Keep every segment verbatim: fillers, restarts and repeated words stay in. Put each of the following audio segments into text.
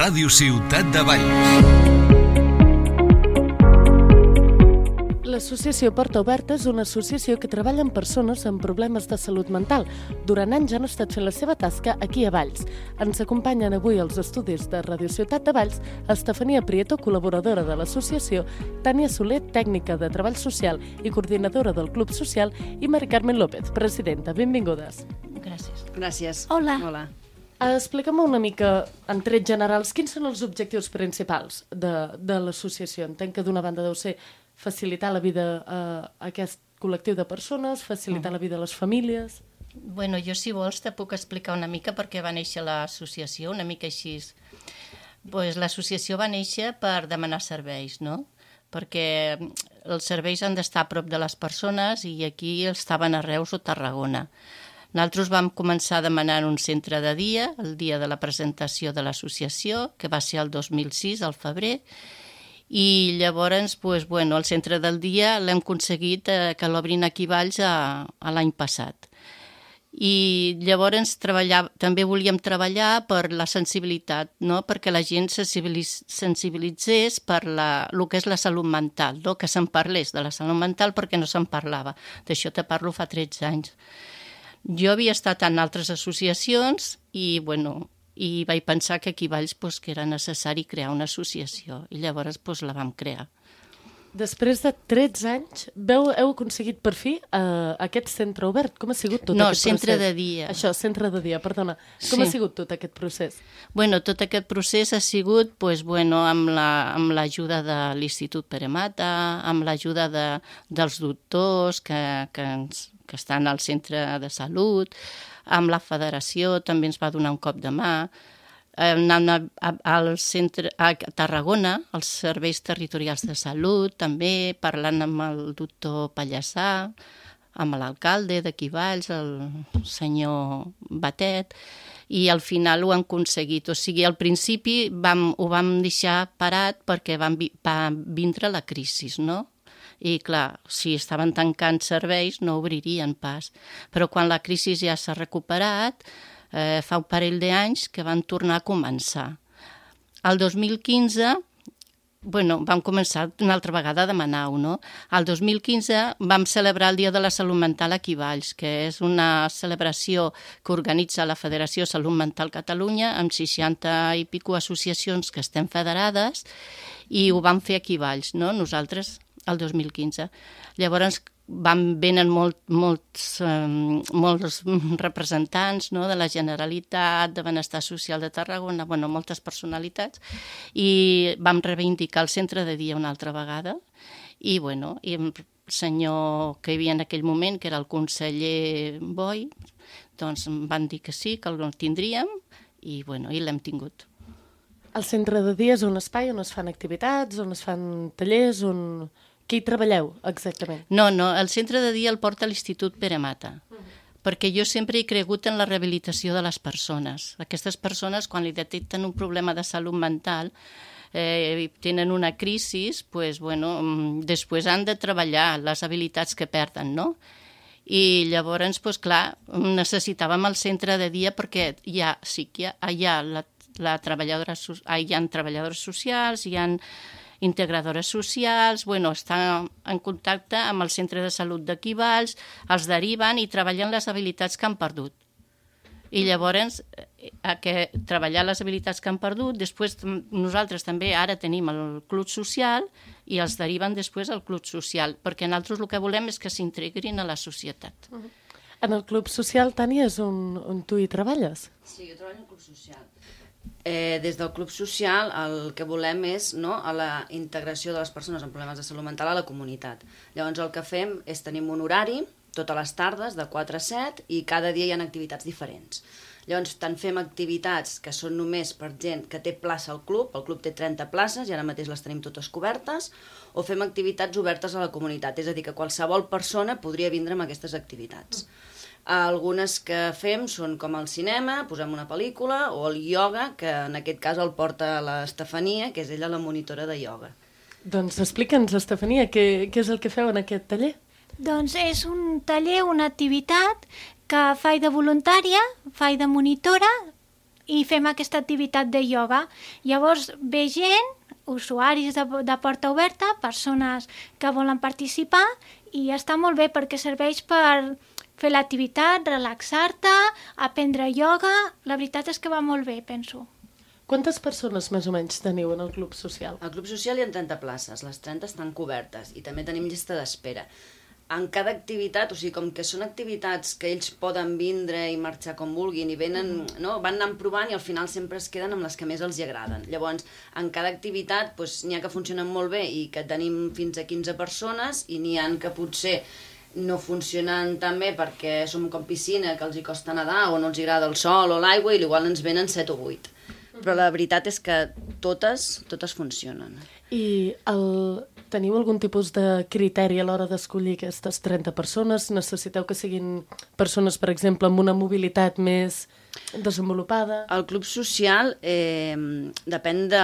Ràdio Ciutat de Valls. L'associació Porta Oberta és una associació que treballa amb persones amb problemes de salut mental. Durant anys han estat fent la seva tasca aquí a Valls. Ens acompanyen avui als estudis de Ràdio Ciutat de Valls Estefania Prieto, col·laboradora de l'associació, Tània Soler, tècnica de treball social i coordinadora del Club Social, i Mari Carmen López, presidenta. Benvingudes. Gràcies. Gràcies. Hola. Hola. Explica'm una mica, en trets generals, quins són els objectius principals de, de l'associació. Entenc que d'una banda deu ser facilitar la vida a aquest col·lectiu de persones, facilitar la vida a les famílies. Bueno, jo, si vols, te puc explicar una mica per què va néixer l'associació, una mica així. Pues, l'associació va néixer per demanar serveis, no? Perquè els serveis han d'estar a prop de les persones i aquí estaven a Reus o Tarragona. Nosaltres vam començar demanant un centre de dia, el dia de la presentació de l'associació, que va ser el dos mil sis, al febrer, i llavors, pues, bueno, el centre del dia l'hem aconseguit eh, que l'obrin aquí a Valls a, a l'any passat. I llavors també volíem treballar per la sensibilitat, no? Perquè la gent sensibilitzés per la, el que és la salut mental, no? Que se'n parlés de la salut mental perquè no se'n parlava. D'això te parlo fa tretze anys. Jo havia estat en altres associacions i, bueno, i vaig pensar que aquí a Valls pues, que era necessari crear una associació i llavors pues, la vam crear. Després de tretze anys, veu, heu aconseguit per fi uh, aquest centre obert. Com ha sigut tot no, aquest procés? No, centre de dia. Això, centre de dia, perdona. Com sí. ha sigut tot aquest procés? Bueno, tot aquest procés ha sigut pues, bueno, amb l'ajuda la, de l'Institut Pere Mata, amb l'ajuda de, dels doctors que, que, ens, que estan al centre de salut, amb la federació també ens va donar un cop de mà, anant al centre, a Tarragona, als serveis territorials de salut, també parlant amb el doctor Pallassà, amb l'alcalde d'aquí Valls, el senyor Batet, i al final ho han aconseguit. O sigui, al principi vam, ho vam deixar parat perquè van, va vindre la crisi, no? I, clar, si estaven tancant serveis no obririen pas. Però quan la crisi ja s'ha recuperat, eh, fa un parell d'anys que van tornar a començar. El dos mil quinze, bueno, vam començar una altra vegada a demanar-ho, no? El dos mil quinze vam celebrar el Dia de la Salut Mental aquí a Valls, que és una celebració que organitza la Federació Salut Mental Catalunya amb seixanta i pico associacions que estem federades i ho vam fer aquí a Valls, no? Nosaltres el dos mil quinze. Llavors van venen molt, molts, um, molts representants, no? De la Generalitat, de Benestar Social de Tarragona, bueno, moltes personalitats, i vam reivindicar el centre de dia una altra vegada i, bueno, i el senyor que hi havia en aquell moment, que era el conseller Boi, doncs van dir que sí, que el tindríem i, bueno, i l'hem tingut. El centre de dia és un espai on es fan activitats, on es fan tallers, on... Què hi treballeu, exactament? No, no, el centre de dia el porta l'Institut Pere Mata, uh-huh. Perquè jo sempre he cregut en la rehabilitació de les persones. Aquestes persones, quan li detecten un problema de salut mental, eh, tenen una crisi, pues, bueno, després han de treballar les habilitats que perden, no? I llavors, pues, clar, necessitàvem el centre de dia perquè hi ha, sí que hi ha, hi ha, la, la treballadora, hi ha treballadores socials, hi ha integradores socials, bueno, estan en contacte amb el centre de salut d'aquí Valls, els deriven i treballen les habilitats que han perdut. I llavors, a que treballar les habilitats que han perdut, després nosaltres també ara tenim el club social i els deriven després al club social, perquè nosaltres el que volem és que s'integrin a la societat. Uh-huh. En el club social, Tània, és on, on tu hi treballes? Sí, jo treballo al club social. Eh, des del Club Social el que volem és, no, a la integració de les persones amb problemes de salut mental a la comunitat. Llavors el que fem és tenim un horari totes les tardes de quatre a set i cada dia hi ha activitats diferents. Llavors tant fem activitats que són només per gent que té plaça al club, el club té trenta places i ara mateix les tenim totes cobertes, o fem activitats obertes a la comunitat, és a dir, que qualsevol persona podria vindre amb aquestes activitats. Algunes que fem són com el cinema, posem una pel·lícula, o el ioga, que en aquest cas el porta l'Estefania, que és ella la monitora de ioga. Doncs explica'ns, Estefania, què, què és el que feu en aquest taller? Doncs és un taller, una activitat que faig de voluntària, faig de monitora i fem aquesta activitat de ioga. Llavors ve gent, usuaris de, de Porta Oberta, persones que volen participar, i està molt bé perquè serveix per fer l'activitat, relaxar-te, aprendre ioga. La veritat és que va molt bé, penso. Quantes persones més o menys teniu en el Club Social? Al Club Social hi ha trenta places, les trenta estan cobertes i també tenim llista d'espera. En cada activitat, o sigui, com que són activitats que ells poden vindre i marxar com vulguin i venen, no? Van anant provant i al final sempre es queden amb les que més els hi agraden. Llavors, en cada activitat doncs, n'hi ha que funcionen molt bé i que tenim fins a quinze persones i n'hi ha que potser no funcionen tan bé perquè som com piscina, que els hi costa nedar o no els agrada el sol o l'aigua i igual ens venen set o vuit. Però la veritat és que totes, totes funcionen. I el... teniu algun tipus de criteri a l'hora d'escollir aquestes trenta persones? Necessiteu que siguin persones, per exemple, amb una mobilitat més desenvolupada? El Club Social eh, depèn de,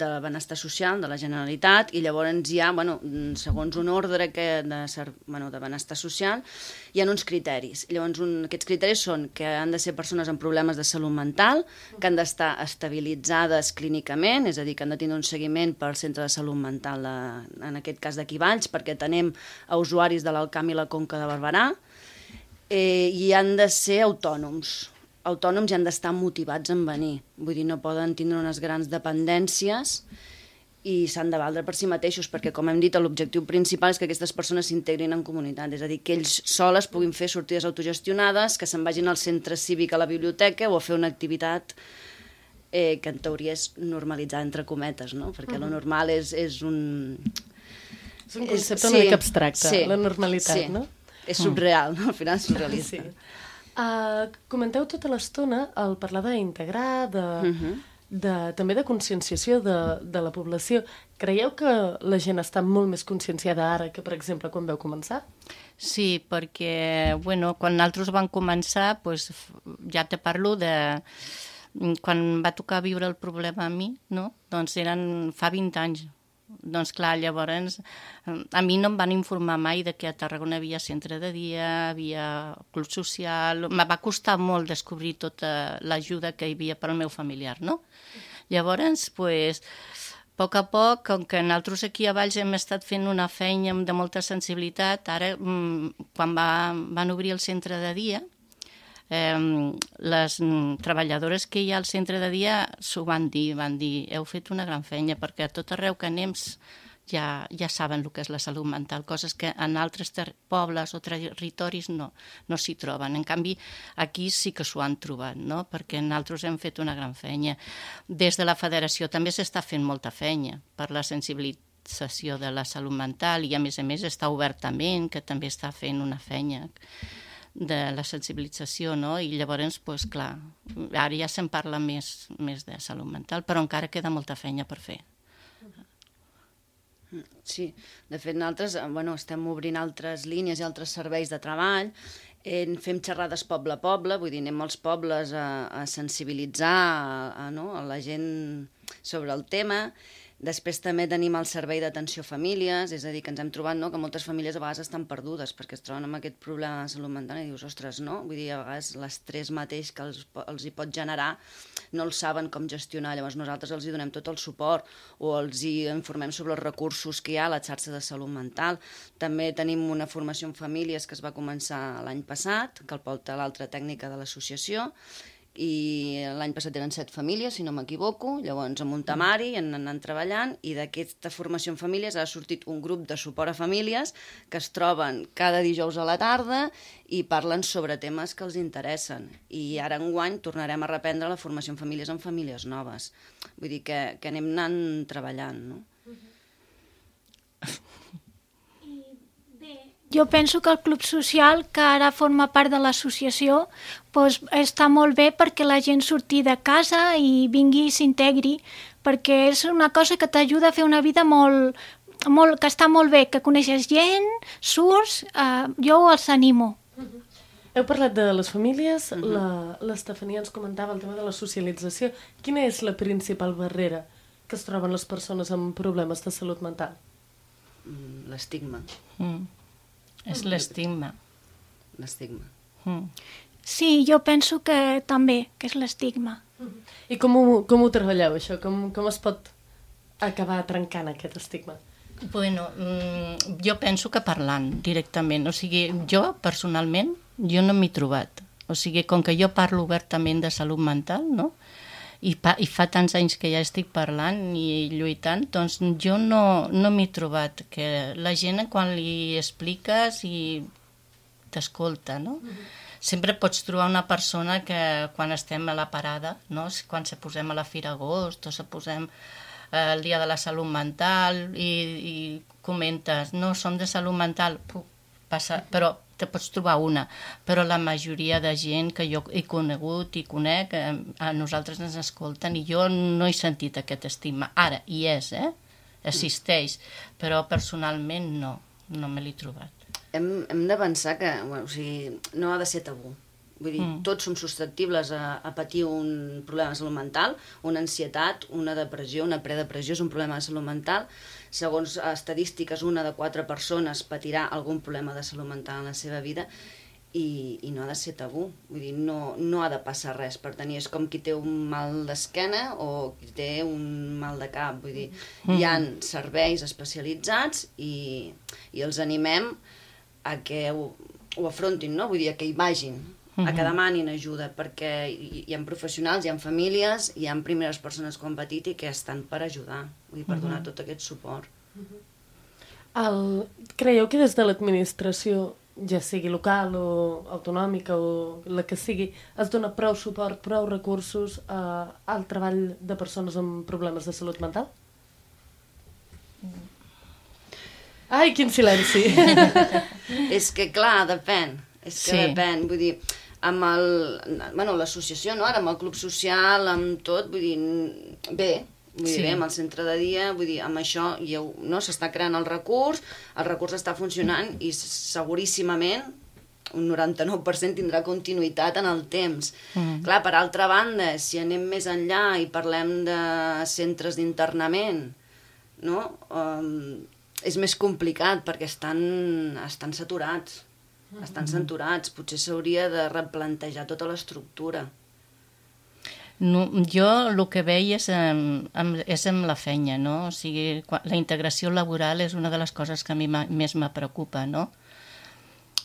de benestar social de la Generalitat i llavors hi ha, bueno, segons un ordre que de, bueno, de benestar social, hi ha uns criteris. Llavors, un, aquests criteris són que han de ser persones amb problemes de salut mental, que han d'estar estabilitzades clínicament, és a dir, que han de tenir un seguiment pel centre de salut mental, de, en aquest cas d'aquí Valls, perquè tenem a usuaris de l'Alt Camp i la Conca de Barberà, eh, i han de ser autònoms. autònoms i han d'estar motivats en venir. Vull dir, no poden tindre unes grans dependències i s'han de valdre per si mateixos, perquè, com hem dit, l'objectiu principal és que aquestes persones s'integrin en comunitat, és a dir, que ells soles puguin fer sortides autogestionades, que se'n vagin al centre cívic, a la biblioteca, o a fer una activitat eh, que en teoria és normalitzar, entre cometes, no? Perquè uh-huh. lo normal és, és un... És un concepte és, una sí, mica abstracte, sí, la normalitat, sí. no? És surreal, no? Al final és surrealista. Sí. Uh, comenteu tota l'estona al parlar d'integrar, de, uh-huh. de, també de conscienciació de, de la població. Creieu que la gent està molt més conscienciada ara que, per exemple, quan vau començar? Sí, perquè, bueno, quan nosaltres vam començar, pues, ja te parlo de... Quan va tocar viure el problema a mi, no? Doncs eren fa vint anys. Doncs clar, llavors a mi no em van informar mai de que a Tarragona havia centre de dia, havia club social. Me va costar molt descobrir tota l'ajuda que hi havia per al meu familiar, no? Llavors, pues, a poc a poc, com que nosaltres aquí a Valls hem estat fent una feina de molta sensibilitat, ara, quan va, van obrir el centre de dia, Eh, les treballadores que hi ha al centre de dia s'ho van dir, van dir, heu fet una gran feina, perquè a tot arreu que anem ja, ja saben el que és la salut mental, coses que en altres pobles o territoris no, no s'hi troben. En canvi, aquí sí que s'ho han trobat, no? Perquè nosaltres hem fet una gran feina. Des de la federació també s'està fent molta feina per la sensibilització de la salut mental i, a més a més, està obertament, que també està fent una feina de la sensibilització, no? I llavors, doncs, clar, ara ja se'n parla més, més de salut mental, però encara queda molta feina per fer. Sí, de fet, nosaltres bueno, estem obrint altres línies i altres serveis de treball, eh, fem xerrades poble a poble, vull dir, anem als pobles a, a sensibilitzar a, a, no? a la gent sobre el tema. Després també tenim el servei d'atenció a famílies, és a dir, que ens hem trobat no, que moltes famílies a vegades estan perdudes perquè es troben amb aquest problema de salut mental i dius, ostres, no? Vull dir, a vegades l'estrès mateix que els, els hi pot generar no el saben com gestionar, llavors nosaltres els hi donem tot el suport o els hi informem sobre els recursos que hi ha a la xarxa de salut mental. També tenim una formació en famílies que es va començar l'any passat, que el porta l'altra tècnica de l'associació, i l'any passat eren set famílies, si no m'equivoco, llavors amb un temari han anat treballant i d'aquesta formació en famílies ha sortit un grup de suport a famílies que es troben cada dijous a la tarda i parlen sobre temes que els interessen. I ara enguany tornarem a reprendre la formació en famílies en famílies noves. Vull dir que, que anem anant treballant, no? Jo penso que el Club Social, que ara forma part de l'associació, doncs està molt bé perquè la gent surti de casa i vingui i s'integri, perquè és una cosa que t'ajuda a fer una vida molt, molt, que està molt bé, que coneixes gent, surts, eh, jo els animo. Uh-huh. Heu parlat de les famílies, uh-huh. l'Estefania ens comentava el tema de la socialització. Quina és la principal barrera que es troben les persones amb problemes de salut mental? L'estigma. Mm. És l'estigma. L'estigma. Mm. Sí, jo penso que també, que és l'estigma. I com ho, com ho treballeu, això? Com, com es pot acabar trencant aquest estigma? Bueno, jo penso que parlant directament. O sigui, jo, personalment, jo no m'he trobat. O sigui, com que jo parlo obertament de salut mental, no?, I, pa, i fa tants anys que ja estic parlant i lluitant, doncs jo no, no m'he trobat. Que la gent, quan li expliques i t'escolta, no? Mm-hmm. Sempre pots trobar una persona que quan estem a la parada, no? Quan se posem a la Fira Agost o se posem eh, el dia de la salut mental i, i comentes, no, som de salut mental, puc passar, però te pots trobar una, però la majoria de gent que jo he conegut i conec, eh, a nosaltres ens escolten i jo no he sentit aquest estigma. Ara, hi és, eh? Existeix, però personalment no, no me l'he trobat. Hem, hem de pensar que bueno, o sigui, no ha de ser tabú. Vull dir, mm. tots som susceptibles a, a patir un problema de salut mental, una ansietat, una depressió, una predepressió és un problema de salut mental. Segons estadístiques, una de quatre persones patirà algun problema de salut mental en la seva vida i, i no ha de ser tabú. Vull dir, no, no ha de passar res per tenir. És com qui té un mal d'esquena o qui té un mal de cap. Vull dir, mm. hi ha serveis especialitzats i, i els animem a que ho, ho afrontin, no? Vull dir, a que hi vagin, a que demanin ajuda, perquè hi, hi ha professionals, hi ha famílies, hi ha primeres persones que ho han patit i que estan per ajudar, vull dir, per donar tot aquest suport. El... Creieu que des de l'administració, ja sigui local o autonòmica o la que sigui, es dona prou suport, prou recursos eh, al treball de persones amb problemes de salut mental? Ai, quin silenci! És que, clar, depèn. És que sí. depèn, vull dir, amb el... Bueno, l'associació, no?, ara amb el club social, amb tot, vull dir, bé, vull dir, sí. bé, amb el centre de dia, vull dir, amb això ja, no, s'està creant el recurs, el recurs està funcionant i seguríssimament un noranta-nou per cent tindrà continuïtat en el temps. Mm. Clar, per altra banda, si anem més enllà i parlem de centres d'internament, no?, um, és més complicat perquè estan, estan saturats. Estan saturats, potser s'hauria de replantejar tota l'estructura. No, jo el que veia és, amb, amb, és amb la feina, no? O sigui, la integració laboral és una de les coses que a mi més me preocupa, no?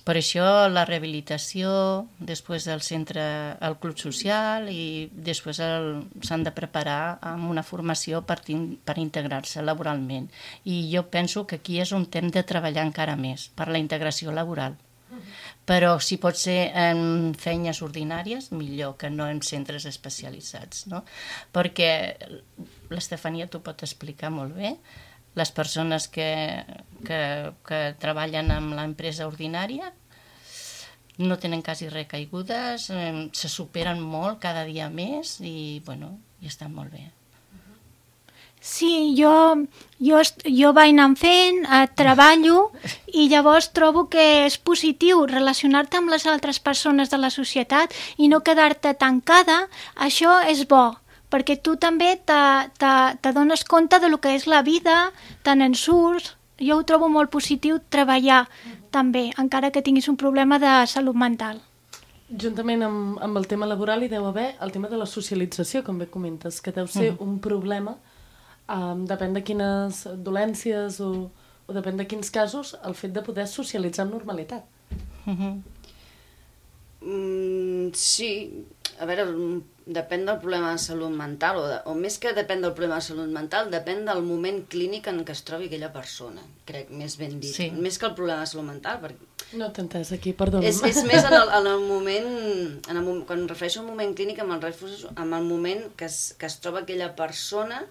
Per això la rehabilitació, després del centre, el club social i després s'han de preparar amb una formació per, per integrar-se laboralment. I jo penso que aquí és on hem de treballar encara més, per la integració laboral. Però si pot ser en feines ordinàries, millor que no en centres especialitzats, no? Perquè l'Estefania t'ho pot explicar molt bé. Les persones que, que, que treballen amb l'empresa ordinària no tenen quasi recaigudes, eh, se superen molt cada dia més i, bueno, i estan molt bé. Sí, jo, jo, jo vaig anant fent, eh, treballo i llavors trobo que és positiu relacionar-te amb les altres persones de la societat i no quedar-te tancada. Això és bo, perquè tu també t'adones compte de lo que és la vida, te n'en surts. Jo ho trobo molt positiu treballar també, encara que tinguis un problema de salut mental. Juntament amb, amb el tema laboral hi deu haver el tema de la socialització, com bé comentes, que deu ser mm. un problema. Um, depèn de quines dolències o, o depèn de quins casos, el fet de poder socialitzar amb normalitat. Mm-hmm. Mm, sí, a veure, depèn del problema de salut mental, o, de, o més que depèn del problema de salut mental, depèn del moment clínic en què es trobi aquella persona, crec, més ben dit. Sí. Més que el problema de salut mental, perquè... No t'he entès aquí, perdona. És, és més en el, en el moment, en el, quan em refereixo al moment clínic, amb el, amb el moment que es, que es troba aquella persona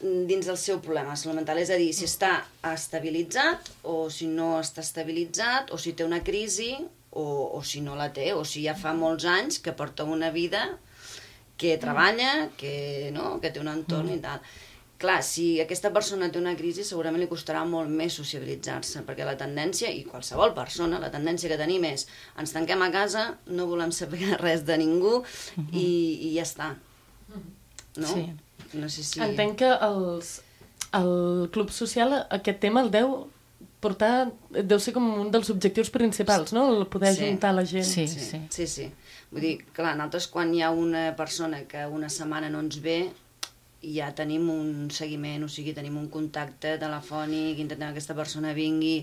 dins del seu problema salut mental, és a dir, si està estabilitzat o si no està estabilitzat o si té una crisi o, o si no la té, o si ja fa molts anys que porta una vida que treballa, que, no, que té un entorn i tal. Clar, si aquesta persona té una crisi segurament li costarà molt més sociabilitzar-se, perquè la tendència, i qualsevol persona, la tendència que tenim és ens tanquem a casa, no volem saber res de ningú i, i ja està. No? Sí. No sé si... Entenc que els, el Club Social aquest tema el deu portar, deu ser com un dels objectius principals, no? El poder Sí. ajuntar la gent. Sí, Sí, sí. sí, sí. Vull dir, clar, nosaltres quan hi ha una persona que una setmana no ens ve, ja tenim un seguiment, o sigui, tenim un contacte telefònic, intentem que aquesta persona vingui,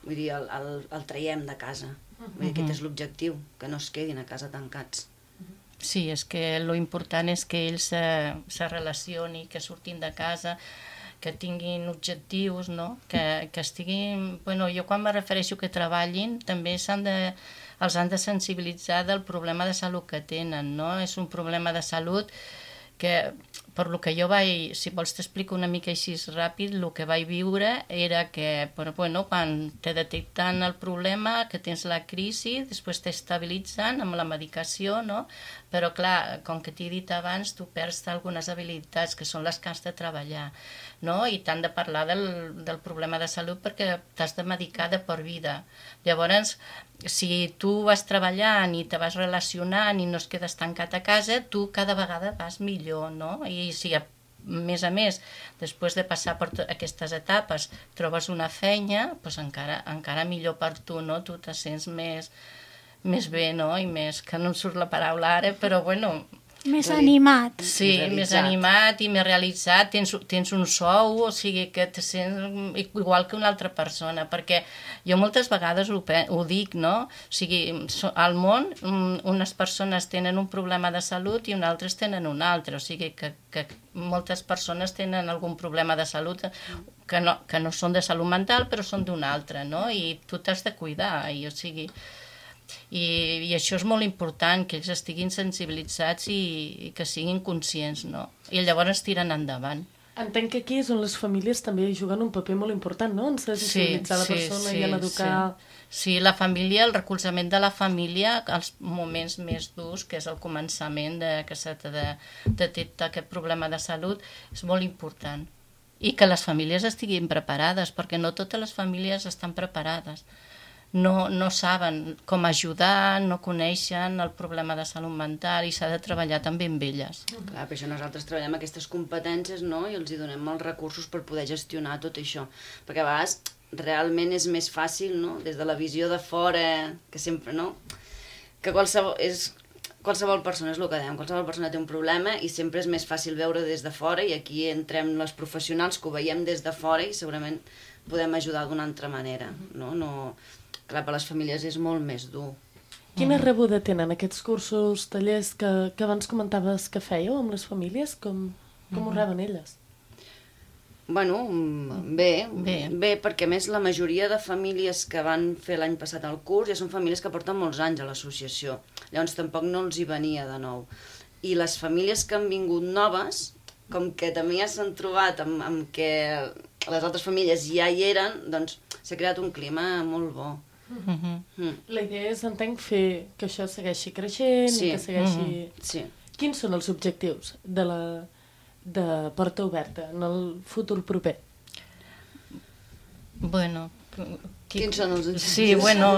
vull dir, el, el, el traiem de casa. Vull dir, aquest és l'objectiu, que no es quedin a casa tancats. Sí, és que lo important és que ells se, se relacioni, que surtin de casa, que tinguin objectius, no? Que, que estiguin... Bueno, jo quan me refereixo que treballin, també s'han de, els han de sensibilitzar del problema de salut que tenen, no? És un problema de salut que, per lo que jo vaig, si vols t'explico una mica així ràpid, el que vaig viure era que, però, bueno, quan te detecten el problema, que tens la crisi, després t'estabilitzen amb la medicació, no? Però, clar, com que t'he dit abans, tu perds algunes habilitats que són les que has de treballar, no? I t'han de parlar del, del problema de salut perquè t'has de medicar de per vida. Llavors, si tu vas treballant i te vas relacionant i no es quedes tancat a casa, tu cada vegada vas millor, no? I si a més a més, després de passar per aquestes etapes, trobes una feina, doncs encara, encara millor per tu, no? Tu te sents més, més bé, no? I més, que no em surt la paraula ara, però bueno... Més animat. Sí, Realitzat. més animat i més realitzat, tens, tens un sou, o sigui que te sents igual que una altra persona, perquè jo moltes vegades ho, ho dic, no? O sigui, al món unes persones tenen un problema de salut i unes altres tenen un altre, o sigui que, que moltes persones tenen algun problema de salut que no, que no són de salut mental però són d'un altre, no? I tu t'has de cuidar, i o sigui... I, i això és molt important, que ells estiguin sensibilitzats i, i que siguin conscients, no? I llavors tiren endavant. Entenc que aquí és on les famílies també juguen un paper molt important, no? En sensibilitzar la persona i en educar... Sí. sí, la família, el recolzament de la família, els moments més durs, que és el començament de, que s'ha de detectar aquest problema de salut, és molt important. I que les famílies estiguin preparades, perquè no totes les famílies estan preparades. No, no saben com ajudar, no coneixen el problema de salut mental i s'ha de treballar també amb elles. Clar, per això nosaltres treballem aquestes competències, no?, i els hi donem els recursos per poder gestionar tot això. Perquè a vegades realment és més fàcil, no?, des de la visió de fora, que sempre, no?, que qualsevol, és, qualsevol persona, és el que dèiem, qualsevol persona té un problema i sempre és més fàcil veure des de fora, i aquí entrem les professionals que ho veiem des de fora i segurament podem ajudar d'una altra manera, no? No... Clar, per les famílies és molt més dur. Quina rebuda tenen aquests cursos, tallers que, que abans comentaves que fèieu amb les famílies? Com, com ho reben elles? Bueno, bé, Bé. bé, perquè a més la majoria de famílies que van fer l'any passat el curs ja són famílies que porten molts anys a l'associació. Llavors tampoc no els hi venia de nou. I les famílies que han vingut noves, com que també ja s'han trobat amb, amb que les altres famílies ja hi eren, doncs s'ha creat un clima molt bo. Uh-huh. Mm. La idea és, entenc, fer que això segueixi creixent Sí. i que segueixi... Mm-hmm. Sí. Quins són els objectius de la de Porta Oberta en el futur proper? Bueno... Qui... Quins són els objectius? Sí, bueno,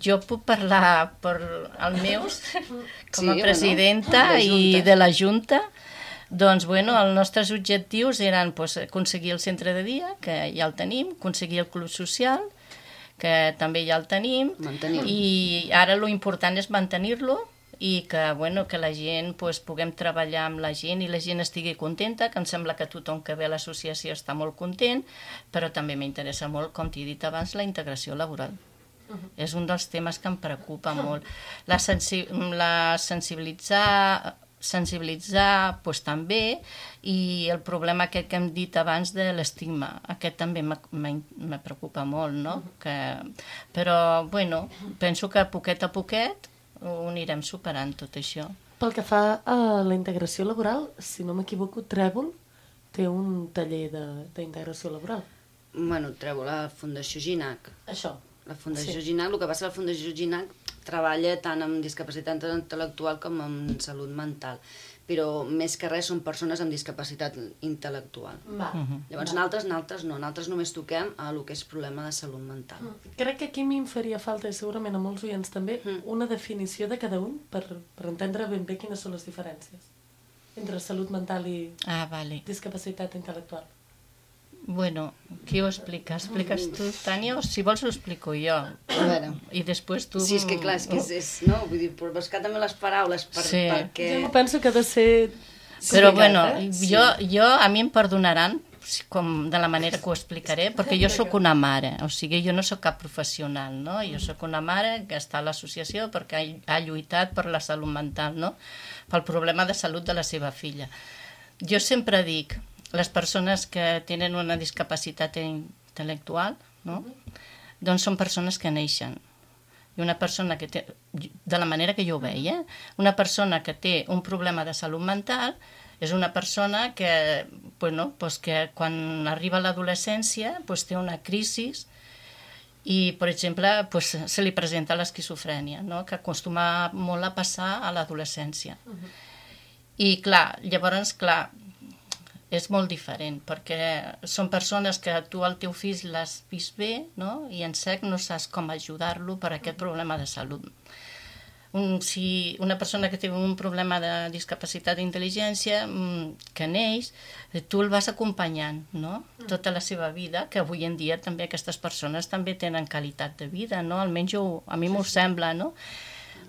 jo puc parlar per els meus com Sí, a presidenta bueno, de i Junta. de la Junta. Doncs, bueno, els nostres objectius eren pues, aconseguir el centre de dia, que ja el tenim, aconseguir el club social, que també ja el tenim, Mantenir-lo. i ara lo important és mantenir-lo i que, bueno, que la gent pues, puguem treballar amb la gent i la gent estigui contenta, que em sembla que tothom que ve a l'associació està molt content, però també m'interessa molt, com t'he dit abans, la integració laboral. Uh-huh. És un dels temes que em preocupa molt. La, sensi la sensibilitzar... sensibilitzar pues, també, i el problema aquest que hem dit abans de l'estigma, aquest també me preocupa molt, no? Que, però, bueno, penso que poquet a poquet ho anirem superant tot això. Pel que fa a la integració laboral, si no m'equivoco, Trèvol té un taller d'integració laboral. Bueno, treu la Fundació Ginac. Això. La Fundació Sí. Ginac, el que passa, la Fundació Ginac treballa tant amb discapacitat intel·lectual com amb salut mental, però més que res són persones amb discapacitat intel·lectual. Va. Uh-huh. Llavors, nosaltres, nosaltres no, nosaltres només toquem a el que és problema de salut mental. Crec que aquí m'hi faria falta, i segurament a molts oients també, Mm. una definició de cada un per, per entendre ben bé quines són les diferències entre salut mental i Ah, vale. discapacitat intel·lectual. Bueno, qui ho explica? Expliques tu, Tània, o si vols ho explico jo? A veure. I després tu... Sí, és que clar, és que és, és no? Vull dir, per buscar també les paraules per, Sí. perquè... Jo penso que ha de ser... Però, complicat, bueno, eh? jo, jo, a mi em perdonaran com de la manera que ho explicaré, perquè jo sóc una mare, o sigui, jo no sóc cap professional, no? Jo sóc una mare que està a l'associació perquè ha, ha lluitat per la salut mental, no? Pel problema de salut de la seva filla. Jo sempre dic, les persones que tenen una discapacitat intel·lectual, no? Doncs són persones que neixen. I una persona que té, de la manera que jo ho veia, eh? Una persona que té un problema de salut mental és una persona que, bueno, pues que quan arriba a l'adolescència pues té una crisi i, per exemple, pues, se li presenta l'esquizofrènia, no? Que acostuma molt a passar a l'adolescència. Uh-huh. I, clar, llavors, clar, és molt diferent, perquè són persones que tu al teu fill l'has vist bé, no? I en sec no saps com ajudar-lo per aquest problema de salut. Un, si una persona que té un problema de discapacitat d'intel·ligència que neix, tu el vas acompanyant, no? Tota la seva vida, que avui en dia també aquestes persones també tenen qualitat de vida, no? Almenys jo, a mi m'ho sembla, no?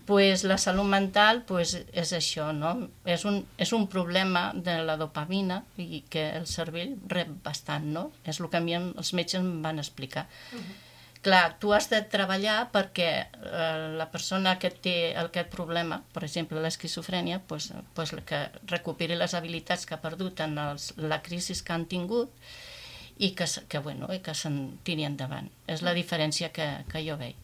Pues la salut mental pues, és això, no? És un, és un problema de la dopamina i que el cervell rep bastant, no? És el que a mi els metges em van explicar. Uh-huh. Clar, tu has de treballar perquè eh, la persona que té aquest problema, per exemple l'esquizofrènia, pues, pues, que recuperi les habilitats que ha perdut en els, la crisi que han tingut i que, que, bueno, i que se'n tiri endavant. És la diferència que, que jo veig.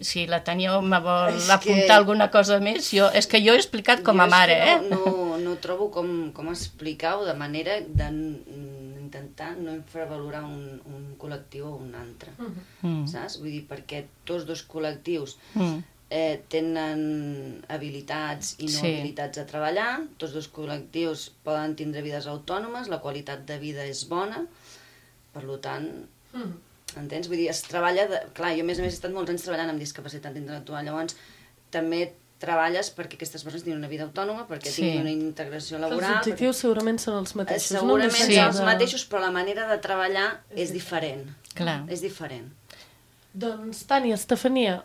Si la Tània me vol és apuntar que... alguna cosa més, jo, és que jo he explicat com a mare, no, eh? No, no trobo com, com explicar-ho de manera d'intentar no infravalorar un, un col·lectiu o un altre, mm. saps? Vull dir, perquè tots dos col·lectius mm. eh, tenen habilitats i no sí. habilitats a treballar, tots dos col·lectius poden tindre vides autònomes, la qualitat de vida és bona, per tant... Mm. Entens? Vull dir, es treballa... De... Clar, jo a més a més he estat molts anys treballant amb discapacitat intel·lectual, llavors també treballes perquè aquestes persones tinguin una vida autònoma, perquè sí. tinguin una integració laboral... Els objectius perquè... segurament són els mateixos. Segurament no? sí. són els mateixos, però la manera de treballar és diferent. Clar. És diferent. Doncs, Tània, Estefania,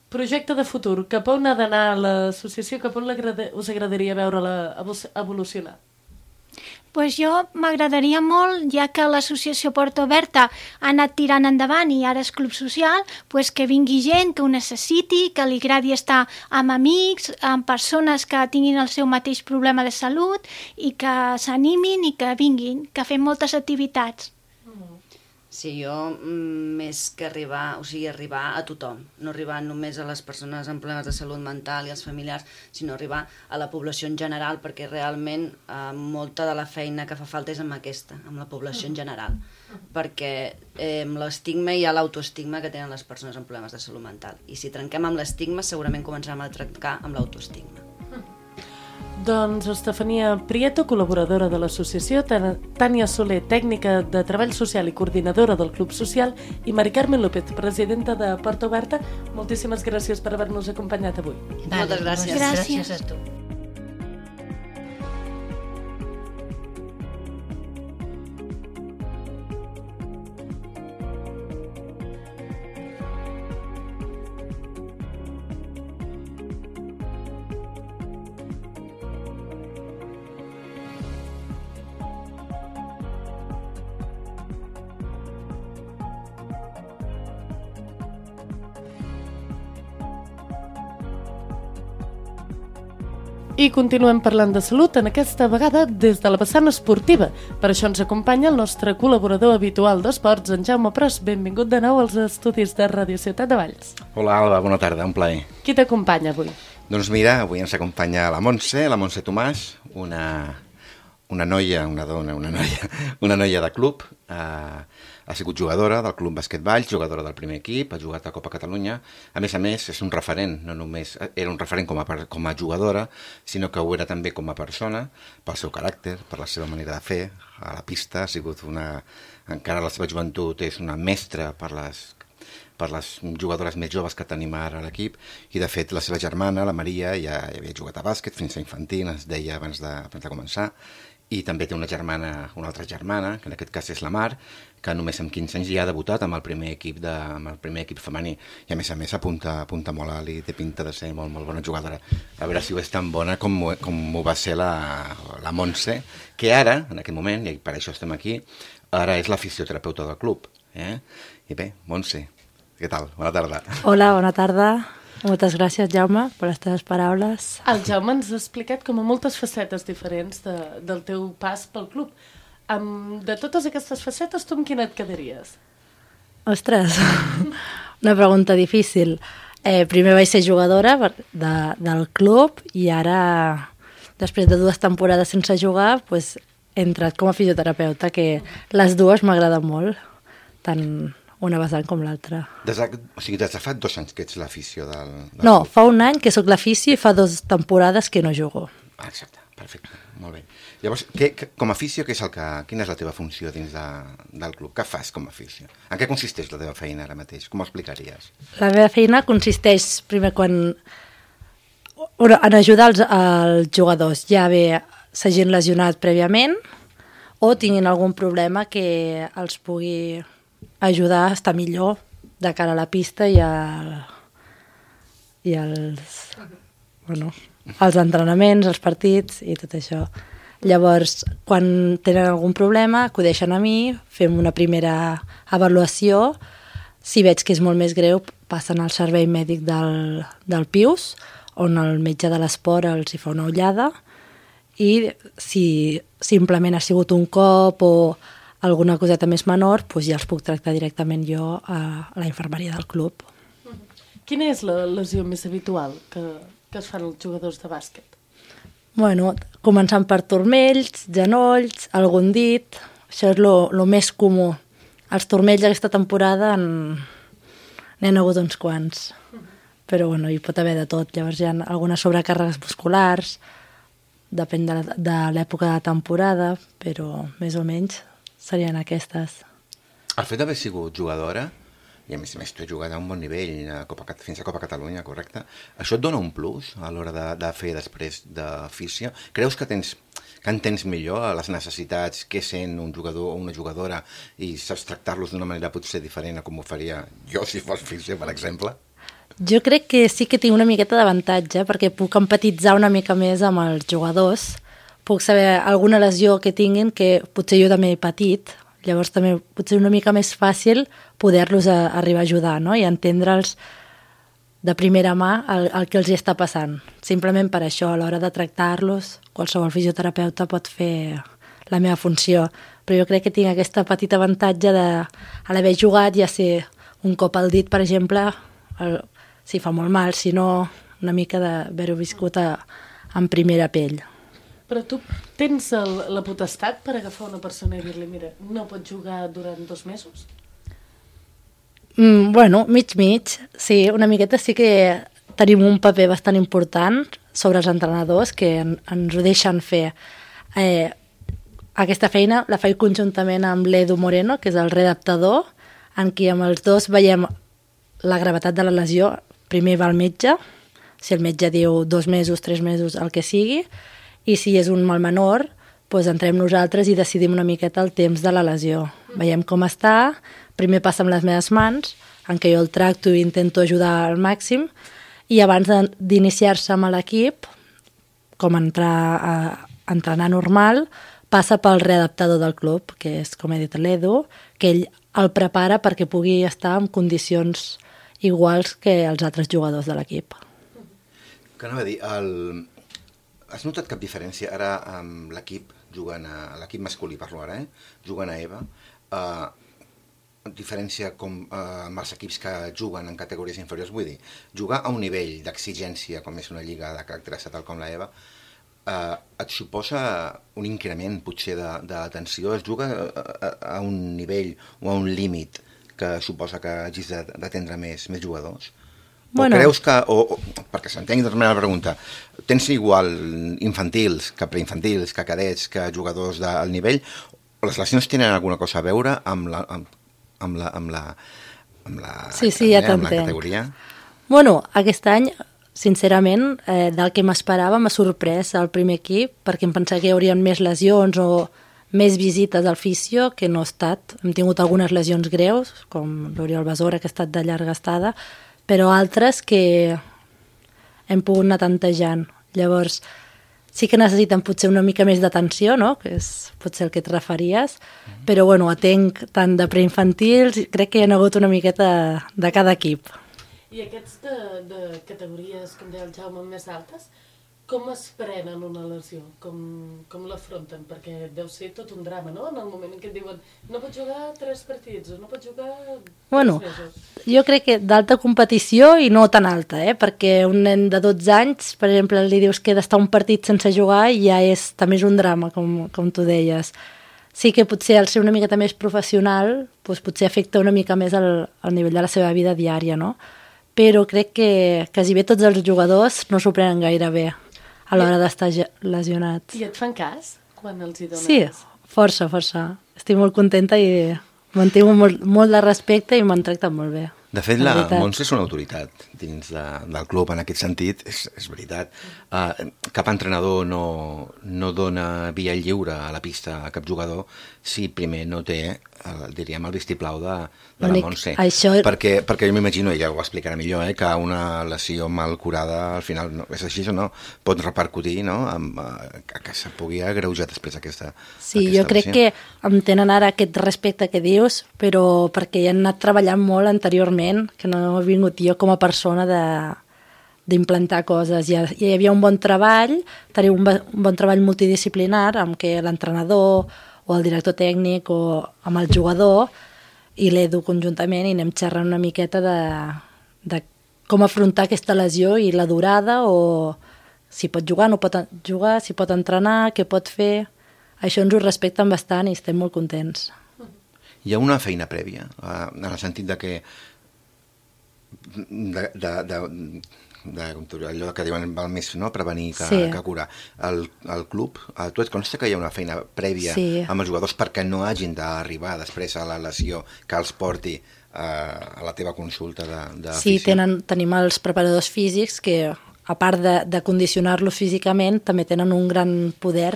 projecte de futur, cap on ha d'anar l'associació, cap on us agradaria veure-la evolucionar? Pues jo m'agradaria molt, ja que l'associació Porta Oberta ha anat tirant endavant i ara és club social, pues que vingui gent que ho necessiti, que li agradi estar amb amics, amb persones que tinguin el seu mateix problema de salut i que s'animin i que vinguin, que fem moltes activitats. Sí, jo més que arribar, o sigui, arribar a tothom, no arribar només a les persones amb problemes de salut mental i als familiars, sinó arribar a la població en general, perquè realment eh, molta de la feina que fa falta és amb aquesta, amb la població en general, perquè eh, amb l'estigma hi ha l'autoestigma que tenen les persones amb problemes de salut mental, i si trenquem amb l'estigma segurament començarem a trencar amb l'autoestigma. Doncs Estefania Prieto, col·laboradora de l'associació, Tània Soler, tècnica de treball social i coordinadora del Club Social, i Mari Carmen López, presidenta de Porta Oberta, moltíssimes gràcies per haver-nos acompanyat avui. Vale, moltes gràcies. Gràcies. Gràcies a tu. I continuem parlant de salut, en aquesta vegada des de la vessant esportiva. Per això ens acompanya el nostre col·laborador habitual d'esports, en Jaume Pros. Benvingut de nou als estudis de Ràdio Ciutat de Valls. Hola, Alba, bona tarda, un plaer. Qui t'acompanya avui? Doncs mira, avui ens acompanya la Montse, la Montse Tomàs, una, una noia, una dona, una noia, una noia de club, eh, ha sigut jugadora del Club Bàsquet Valls, jugadora del primer equip, ha jugat a Copa Catalunya. A més a més, és un referent, no només era un referent com a, com a jugadora, sinó que ho era també com a persona, pel seu caràcter, per la seva manera de fer a la pista. Ha sigut una... Encara a la seva joventut és una mestra per les, per les jugadores més joves que tenim ara a l'equip, i de fet la seva germana, la Maria, ja havia jugat a bàsquet fins a infantil, ens deia abans de, abans de començar, i també té una germana, una altra germana, que en aquest cas és la Mar, que només amb quinze anys ja ha debutat amb el primer equip, de, amb el primer equip femení, i a més a més apunta, apunta molt alt i té pinta de ser molt, molt bona jugadora. A veure si ho és tan bona com, com ho va ser la, la Montse, que ara, en aquest moment, i per això estem aquí, ara és la fisioterapeuta del club. Eh? I bé, Montse, què tal? Bona tarda. Hola, bona tarda. Moltes gràcies, Jaume, per les teves paraules. El Jaume ens ha explicat com a moltes facetes diferents de, del teu pas pel club. Um, de totes aquestes facetes, tu amb quina et quedaries? Ostres, una pregunta difícil. Eh, primer vaig ser jugadora de, del club i ara, després de dues temporades sense jugar, pues, he entrat com a fisioterapeuta, que les dues m'agraden molt, tant una vessant com l'altra. O sigui, des de fa dos anys que ets l'afició del, del No, club. fa un any que sóc l'afició i fa dues temporades que no jugo. Ah, exacte, perfecte, molt bé. Llavors, què, que, com a afició, què és el que, quina és la teva funció dins de, del club? Què fas com a afició? En què consisteix la teva feina ara mateix? Com ho explicaries? La meva feina consisteix, primer, quan en ajudar els, els jugadors, ja bé s'hagin lesionat prèviament o tinguin algun problema que els pugui ajudar a estar millor de cara a la pista i, al, i als, bueno, als entrenaments, als partits i tot això. Llavors, quan tenen algun problema, acudeixen a mi, fem una primera avaluació. Si veig que és molt més greu, passen al servei mèdic del, del P I U S, on el metge de l'esport els hi fa una ullada, i si simplement ha sigut un cop o alguna coseta més menor, doncs ja els puc tractar directament jo a la infermeria del club. Quina és la lesió més habitual que, que es fan els jugadors de bàsquet? Bueno, començant per turmells, genolls, algun dit, això és el més comú. Els turmells aquesta temporada n'hi ha hagut uns quants, però bueno, hi pot haver de tot. Llavors hi ha algunes sobrecàrregues musculars, depèn de, de l'època de temporada, però més o menys serien aquestes. El fet d'haver sigut jugadora, i a més a més tu has jugat a un bon nivell a Copa, fins a Copa Catalunya, correcte? Això et dona un plus a l'hora de, de fer després d'afició? Creus que tens que entens millor les necessitats que sent un jugador o una jugadora i saps tractar-los d'una manera potser diferent a com ho faria jo si fos afició, per exemple? Jo crec que sí que tinc una miqueta d'avantatge perquè puc empatitzar una mica més amb els jugadors, puc saber alguna lesió que tinguin que potser jo també he patit, llavors també potser una mica més fàcil poder-los a, arribar a ajudar, no? I entendre'ls de primera mà el, el que els hi està passant. Simplement per això, a l'hora de tractar-los, qualsevol fisioterapeuta pot fer la meva funció, però jo crec que tinc aquesta petita avantatge de, a l'haver jugat, ja sé, un cop al dit, per exemple, el, si fa molt mal, si no, una mica d'haver-ho viscut a, en primera pell. Però tu tens el, la potestat per agafar una persona i dir-li, mira, no pots jugar durant dos mesos? Mm, bueno, mig-mig, sí, una miqueta sí que tenim un paper bastant important sobre els entrenadors que en, ens ho deixen fer. Eh, aquesta feina la faig conjuntament amb l'Edu Moreno, que és el readaptador, en què amb els dos veiem la gravetat de la lesió. Primer va el metge, si el metge diu dos mesos, tres mesos, el que sigui, i si és un mal menor, doncs entrem nosaltres i decidim una miqueta el temps de la lesió. Veiem com està, primer passa amb les meves mans, en què jo el tracto i intento ajudar al màxim, i abans d'iniciar-se amb l'equip, com entrar a entrenar normal, passa pel readaptador del club, que és, com he dit, l'Edu, que ell el prepara perquè pugui estar en condicions iguals que els altres jugadors de l'equip. Que anava a dir, el... has notat cap diferència ara amb l'equip jugant a l'equip masculí, parlo ara, eh? Jugant a EVA, uh, diferència com uh, amb els equips que juguen en categories inferiors, vull dir, jugar a un nivell d'exigència com és una lliga de caràcter estatal com la EVA, uh, et suposa un increment potser d'atenció, es juga a, a un nivell o a un límit que suposa que hagis d'atendre més, més jugadors? Bueno. O creus que, o, o, perquè s'entengui de la pregunta, tens igual infantils que preinfantils, que cadets, que jugadors d'alt nivell, o les lesions tenen alguna cosa a veure amb la, amb, amb la, amb la, amb la, sí, sí, ja amb la categoria? Bueno, aquest any sincerament, eh, del que m'esperava m'ha sorprès el primer equip, perquè em pensava que hi haurien més lesions o més visites al fisio, que no ha estat. Hem tingut algunes lesions greus, com l'Oriol Besora, que ha estat de llarga estada, però altres que hem pogut anar tantejant. Llavors, sí que necessiten potser una mica més d'atenció, no? Que és potser el que et referies, però bueno, atenc tant de preinfantils, crec que hi ha hagut una miqueta de cada equip. I aquests de, de categories, com deia el Jaume, més altes, com es prenen una lesió? Com, com l'afronten? Perquè deu ser tot un drama, no? En el moment en què et diuen no pots jugar tres partits o no pots jugar tres bueno, mesos. Jo crec que d'alta competició i no tan alta, eh? Perquè un nen de dotze anys, per exemple, li dius que ha d'estar un partit sense jugar i ja és, també és un drama, com, com tu deies. Sí que potser al ser una miqueta més professional doncs potser afecta una mica més el, el nivell de la seva vida diària, no? Però crec que quasi bé tots els jugadors no s'ho prenen gaire bé a l'hora d'estar lesionats. I et fan cas quan els hi dones? Sí, força, força. Estic molt contenta i mantinc molt, molt de respecte i m'han tractat molt bé. De fet, la Montse és una autoritat dins de, del club en aquest sentit, és, és veritat. Uh, cap entrenador no, no dona via lliure a la pista a cap jugador si primer no té, uh, diríem, el vistiplau de, de la Montse. Això... Perquè, perquè jo m'imagino, ella ho explicarà millor, eh, que una lesió mal curada al final, no, és així o no, pot repercutir, no?, amb, uh, que se pugui agreujar després aquesta Sí, aquesta jo crec lesió. que em tenen ara aquest respecte que dius, però perquè hi han anat treballant molt anteriorment, que no he vingut jo com a persona de d'implantar coses. Ja, ja hi havia un bon treball, tenia un, un bon treball multidisciplinar amb què l'entrenador o el director tècnic o amb el jugador i l'Edu conjuntament i anem xerrant una miqueta de, de com afrontar aquesta lesió i la durada o si pot jugar, no pot jugar, si pot entrenar, què pot fer. Això ens ho respecten bastant i estem molt contents. Hi ha una feina prèvia, en el sentit de que de, de, de, de, allò que diuen val més no, prevenir que, sí. que curar. El, el club, a tu et consta que hi ha una feina prèvia sí. amb els jugadors perquè no hagin d'arribar després a la lesió que els porti a, a la teva consulta de, de Sí, fisio? tenen, tenim els preparadors físics que, a part de, de condicionar-los físicament, també tenen un gran poder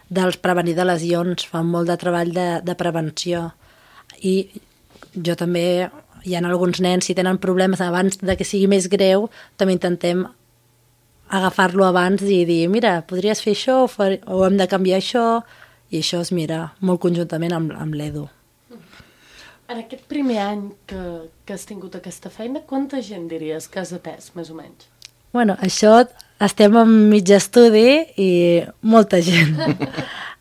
dels prevenir de lesions, fan molt de treball de, de prevenció. I jo també, hi ha alguns nens, si tenen problemes abans de que sigui més greu, també intentem agafar-lo abans i dir, mira, podries fer això o, fer, o hem de canviar això, i això es mira molt conjuntament amb, amb l'Edu. En aquest primer any que, que has tingut aquesta feina, quanta gent diries que has atès, més o menys? Bueno, això estem en mig estudi i molta gent.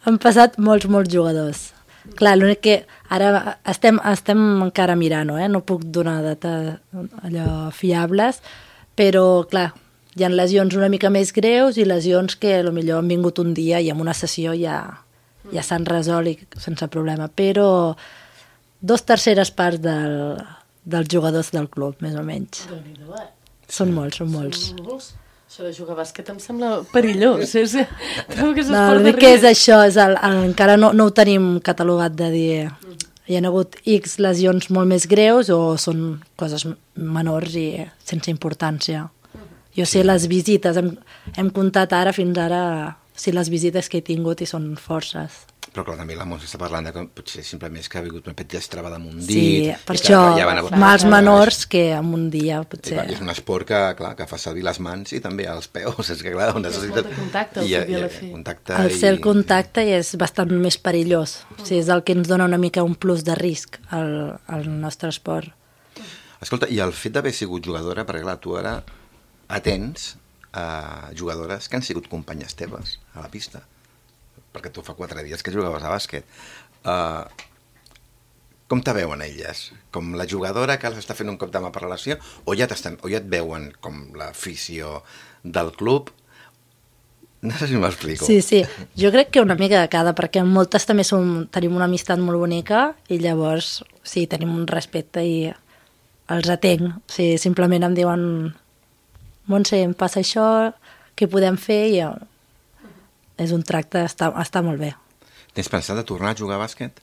Han passat molts, molts jugadors. Clar, l'únic que ara estem, estem encara mirant, eh? No puc donar data allò fiables, però clar, hi ha lesions una mica més greus i lesions que potser han vingut un dia i en una sessió ja, ja s'han resolt i sense problema, però dos terceres parts del, dels jugadors del club, més o menys. Déu-n'hi-do, eh? Són molts, són molts. Són molts. Això de jugar a bàsquet em sembla perillós. És, trobo que és no, esport de que és això, és el, el, encara no, no ho tenim catalogat de dir hi ha hagut X lesions molt més greus o són coses menors i sense importància. Jo sé les visites, hem, hem comptat ara fins ara si les visites que he tingut i són forces. Però clar, també la Montse està parlant de que potser simplement és que ha vingut una petita estrava damunt dit. Sí, per això, ja mals menors que en un dia potser... Clar, és un esport que, clar, que fa servir les mans i també els peus, és que clar, necessita... És molt de contacte, I, i, i, i, contacte el ser i... contacte és bastant més perillós. O sigui, és el que ens dona una mica un plus de risc al, al nostre esport. Escolta, i el fet d'haver sigut jugadora, perquè clar, tu ara atens a jugadores que han sigut companyes teves a la pista, perquè tu fa quatre dies que jugaves a bàsquet. Uh, com te veuen elles? Com la jugadora que els està fent un cop de mà per relació o ja, o ja et veuen com l'afició del club? No sé si m'explico. Sí, sí. Jo crec que una mica de cada, perquè moltes també som, tenim una amistat molt bonica i llavors sí, tenim un respecte i els atenc. O sigui, simplement em diuen Montse, em passa això, què podem fer? I és un tracte, està, està molt bé. Tens pensat de tornar a jugar a bàsquet?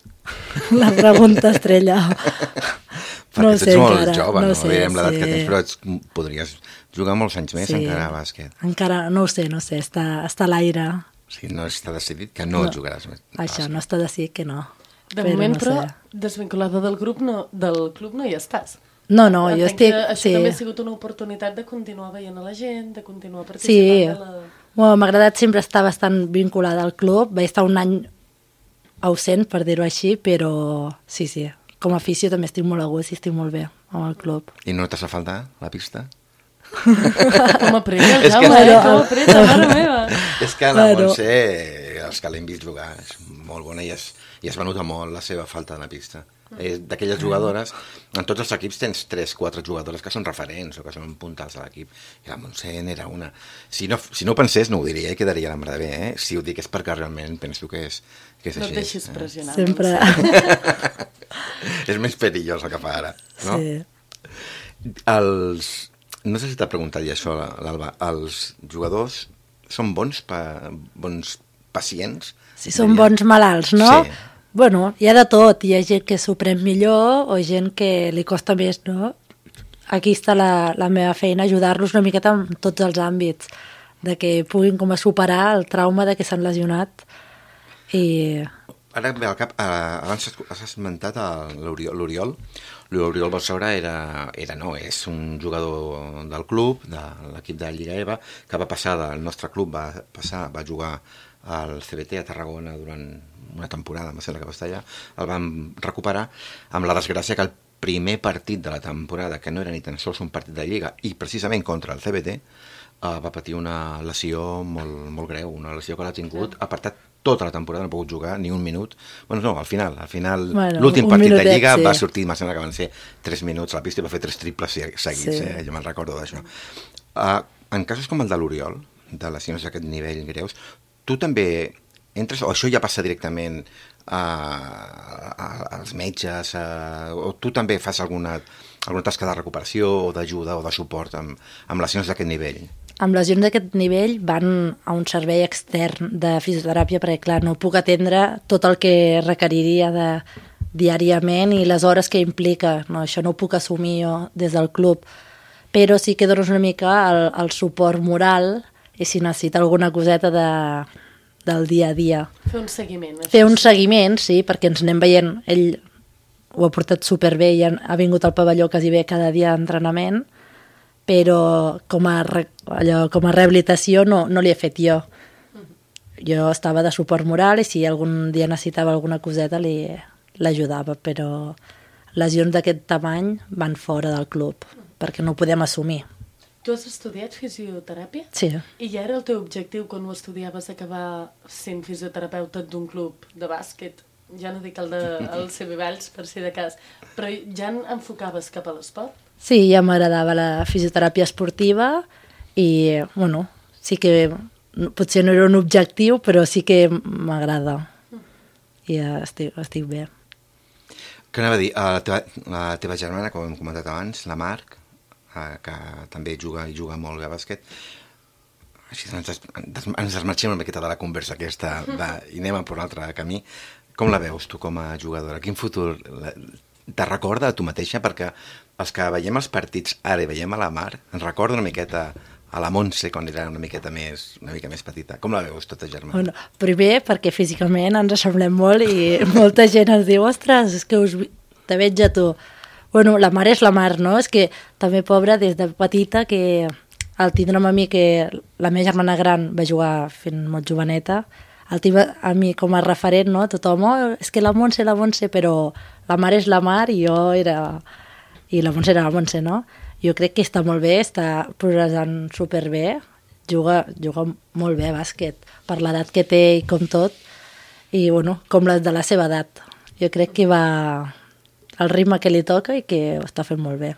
La pregunta estrella. Perquè No tu ets sé molt encara, jove, no no? sé, Veiem l'edat sí. que tens, però ets, podries jugar molts anys més Sí. encara a bàsquet. Encara, no ho sé, no sé, està, està a l'aire. O sigui, no està decidit que no, No. jugaràs més. a Això, bàsquet. no està decidit que no. De Però moment, no però, sé. desvinculada del grup no, del club no hi estàs. No, no, jo Entenc estic... que això Sí, també ha sigut una oportunitat de continuar veient a la gent, de continuar sí. participant de la... Bueno, m'ha agradat sempre estar bastant vinculada al club. Vaig estar un any ausent, per dir-ho així, però sí, sí. Com a afició també estic molt a gust i estic molt bé amb el club. I no t'has de faltar la pista? Com apreta, És que- Jaume, eh? Bueno, Com apreta, mare meva. És que la Claro. Montse, els que l'hem vist jugar, és molt bona i es, i es va notar molt la seva falta de la pista. És d'aquelles jugadores, en tots els equips tens tres, quatre jugadores que són referents o que són puntals de l'equip, i la Montse n'era una. Si no, si no ho pensés no ho diria i quedaria la mar de bé, eh? Si ho dic és perquè realment penso que és, que és No així. et deixis eh? pressionar. Sempre. És més perillós el que fa ara, no? Sí. Els, no sé si t'ha preguntat ja això, l'Alba. Els jugadors són bons, pa, bons pacients? Si són bons malalts, no? Sí. Bueno, hi ha de tot. Hi ha gent que s'ho pren millor o gent que li costa més, no? Aquí està la, la meva feina, ajudar-los una miqueta en tots els àmbits, de que puguin com a superar el trauma de que s'han lesionat. I Ara em ve al cap, eh, abans has- has esmentat el- l'Oriol. L'Oriol L'Oriol Balsaura era, era, no, és un jugador del club, de l'equip de Lliga EVA, que va passar del nostre club, va passar, va jugar al C B T a Tarragona durant una temporada, em sembla que va estar allà, el vam recuperar amb la desgràcia que el primer partit de la temporada, que no era ni tan sols un partit de Lliga, i precisament contra el C B T, eh, va patir una lesió molt, molt greu, una lesió que l'ha tingut apartat tota la temporada, no ha pogut jugar ni un minut. Bueno, no, al final, al final Bueno, l'últim un partit de minutet, Lliga sí. va sortir, em sembla que van ser tres minuts a la pista i va fer tres triples se- seguits, Sí. eh? Jo me'n recordo d'això. Uh, en casos com el de l'Oriol, de lesions d'aquest nivell greus, tu també entres, o això ja passa directament a, a, als metges, a, o tu també fas alguna, alguna tasca de recuperació o d'ajuda o de suport amb, amb lesions d'aquest nivell? amb lesions d'aquest nivell van a un servei extern de fisioteràpia perquè, clar, no puc atendre tot el que requeriria de, diàriament i les hores que implica. No, això no ho puc assumir jo des del club, però sí que dones una mica el, el suport moral i si necessita alguna coseta de, del dia a dia. Fer un seguiment. això Fer un sí. seguiment, sí, perquè ens anem veient. Ell ho ha portat superbé i ha vingut al pavelló quasi bé cada dia d'entrenament, però com a, re, allò, com a rehabilitació no, no li he fet jo. Jo estava de suport moral i si algun dia necessitava alguna coseta li l'ajudava, però lesions d'aquest tamany van fora del club, perquè no ho podem assumir. Tu has estudiat fisioteràpia? Sí. I ja era el teu objectiu quan ho estudiaves acabar sent fisioterapeuta d'un club de bàsquet? Ja no dic el de el C B Valls, per si de cas, però ja enfocaves cap a l'esport? Sí, ja m'agradava la fisioteràpia esportiva i, bueno, sí que potser no era un objectiu, però sí que m'agrada. I ja estic, estic bé. Què anava a dir? La teva, la teva germana, com hem comentat abans, la Marc, que també juga i juga molt bé a bàsquet, així ens, des, ens desmarxem una miqueta de la conversa aquesta de, i anem a per un altre camí. Com la veus tu com a jugadora? Quin futur la, te recorda a tu mateixa? Perquè els que veiem els partits ara i veiem a la Mar ens recorda una miqueta a la Montse quan era una miqueta més, una mica més petita. Com la veus tota germana? Bueno, primer perquè físicament ens assemblem molt i molta gent ens diu ostres, és que us, te veig a tu. Bueno, la Mar és la Mar, no? És que també, pobra, des de petita, que al tindre'm a mi, que la meva germana gran va jugar fent molt joveneta, el tindre a mi com a referent, no? Tothom, oh, és que la Montse, la Montse, però la Mar és la Mar i jo era... i la Montse era la Montse, no? Jo crec que està molt bé, està progressant superbé, juga, juga molt bé a bàsquet, per l'edat que té i com tot, i bueno, com les de la seva edat. Jo crec que va al ritme que li toca i que ho està fent molt bé.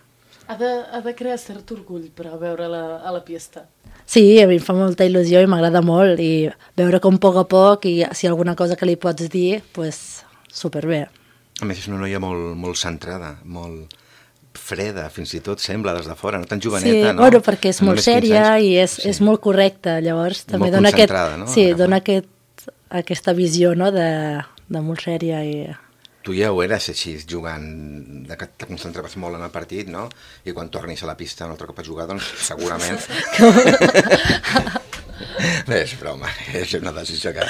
Ha de, ha de crear cert orgull, però, veure-la a la pista. Sí, a mi em fa molta il·lusió i m'agrada molt, i veure com a poc a poc, i si hi ha alguna cosa que li pots dir, pues, superbé. A més, és una noia molt, molt centrada, molt freda, fins i tot sembla des de fora, no tan joveneta, sí, no? Bueno, perquè és Amb molt només quinze sèria anys. i és, Sí. és molt correcta, llavors també Molt dona aquest, concentrada, no? sí, Agafant. dona aquest, aquesta visió, no?, de, de molt sèria i... Tu ja ho eres així, jugant, de que te concentraves molt en el partit, no? I quan tornis a la pista un altre cop a jugar, doncs segurament... Bé, és broma, és una decisió que...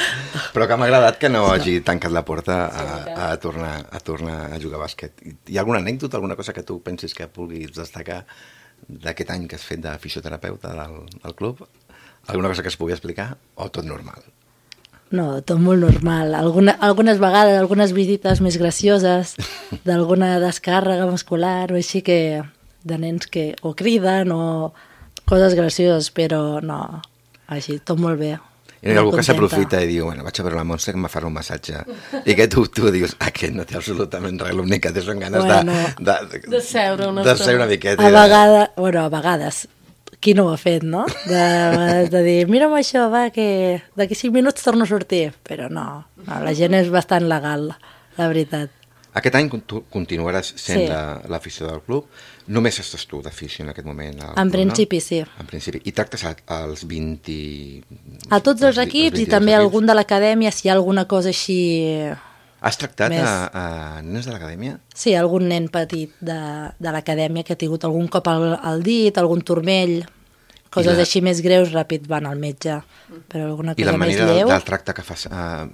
Però que m'ha agradat que no hagi tancat la porta a, a, tornar, a tornar a jugar a bàsquet. Hi ha alguna anècdota, alguna cosa que tu pensis que vulguis destacar d'aquest any que has fet de fisioterapeuta del, del club? Alguna cosa que es pugui explicar o tot normal? No, tot molt normal. Alguna, algunes vegades, algunes visites més gracioses, d'alguna descàrrega muscular o així que de nens que o criden o coses gracioses, però no, així, tot molt bé. I hi ha algú que s'aprofita i diu, bueno, vaig a veure la Montse que em farà un massatge. I que tu, tu dius, aquest no té absolutament res, l'únic que té són ganes bueno, de, de, de seure una, de seure una miqueta. A vegades, bueno, a vegades, qui no ho ha fet, no? De, de dir, mira'm això, va, que d'aquí cinc minuts torno a sortir. Però no, no, la gent és bastant legal, la veritat. Aquest any tu continuaràs sent Sí. l'afició del club. Només estàs tu d'afició en aquest moment? Al En club, principi, no? sí. En principi. I tractes a- als vint... A tots els equips i també algun de l'acadèmia, si hi ha alguna cosa així... Has tractat més. a, a nens de l'acadèmia? Sí, algun nen petit de, de l'acadèmia que ha tingut algun cop al, al dit, algun turmell, coses la- així més greus, ràpid van al metge. Però alguna I cosa la més manera del, lleu, del tracte que fas uh,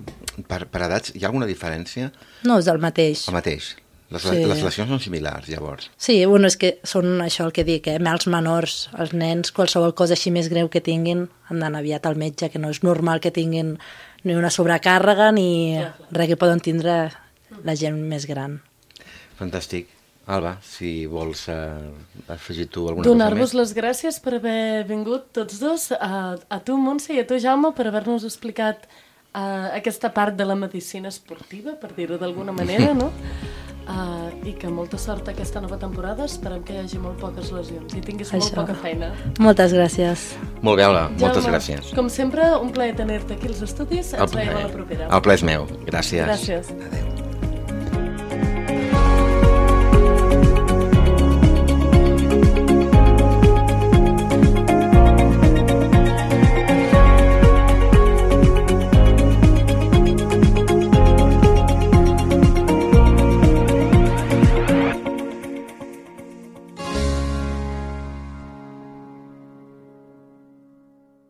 per, per edats, hi ha alguna diferència? no, és el mateix. El mateix. Les, Sí. les lesions són similars, llavors. Sí, bueno, és que són això el que dic, eh? Els menors, els nens, qualsevol cosa així més greu que tinguin, han d'anar aviat al metge, que no és normal que tinguin ni una sobrecàrrega ni res que poden tindre la gent més gran. Fantàstic. Alba, si vols uh, afegir tu alguna Donar-vos cosa més. les gràcies per haver vingut tots dos, a, a tu, Montse, i a tu, Jaume, per haver-nos explicat uh, aquesta part de la medicina esportiva, per dir-ho d'alguna manera, no? Uh, I que molta sort aquesta nova temporada, esperem que hi hagi molt poques lesions i tinguis molt Això. poca feina. Moltes gràcies. Molt bé, Alba, moltes Jaume, gràcies. Com sempre, un plaer tenir-te aquí als estudis, ens veiem a la propera. El plaer és meu. Gràcies. Gràcies. Adéu.